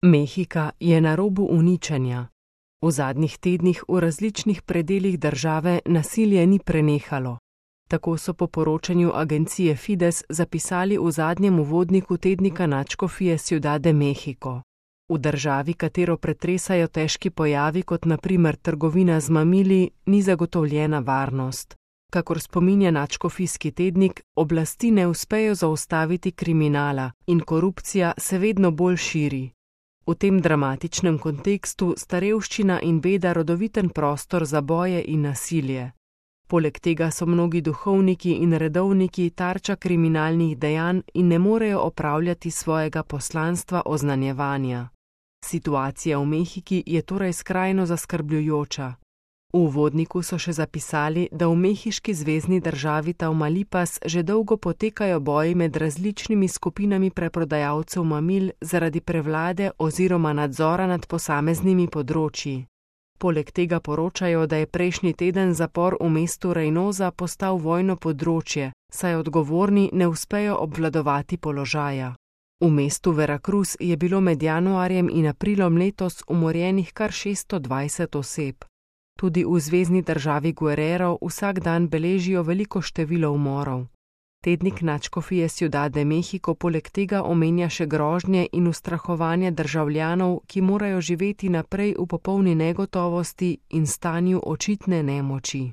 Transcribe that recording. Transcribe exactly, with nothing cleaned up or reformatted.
Mehika je na robu uničenja. V zadnjih tednih v različnih predelih države nasilje ni prenehalo. Tako so po poročanju agencije Fides zapisali v zadnjem uvodniku tednika nadškofije Ciudad de México. V državi, katero pretresajo težki pojavi, kot na primer trgovina z mamili, ni zagotovljena varnost. Kakor spominja nadškofijski tednik, oblasti ne uspejo zaustaviti kriminala in korupcija se vedno bolj širi. V tem dramatičnem kontekstu sta revščina in beda rodoviten prostor za boje in nasilje. Poleg tega so mnogi duhovniki in redovniki tarča kriminalnih dejanj in ne morejo opravljati svojega poslanstva oznanjevanja. Situacija v Mehiki je torej skrajno zaskrbljujoča. V uvodniku so še zapisali, da v mehiški zvezni državi Tamaulipas že dolgo potekajo boji med različnimi skupinami preprodajalcev mamil zaradi prevlade oziroma nadzora nad posameznimi področji. Poleg tega poročajo, da je prejšnji teden zapor v mestu Reynosa postal vojno področje, saj odgovorni ne uspejo obvladovati položaja. V mestu Veracruz je bilo med januarjem in aprilom letos umorjenih kar šeststo dvajset oseb. Tudi v zvezni državi Guerrero vsak dan beležijo veliko število umorov. Tednik nadškofije Ciudad de México poleg tega omenja še grožnje in ustrahovanje državljanov, ki morajo živeti naprej v popolni negotovosti in stanju očitne nemoči.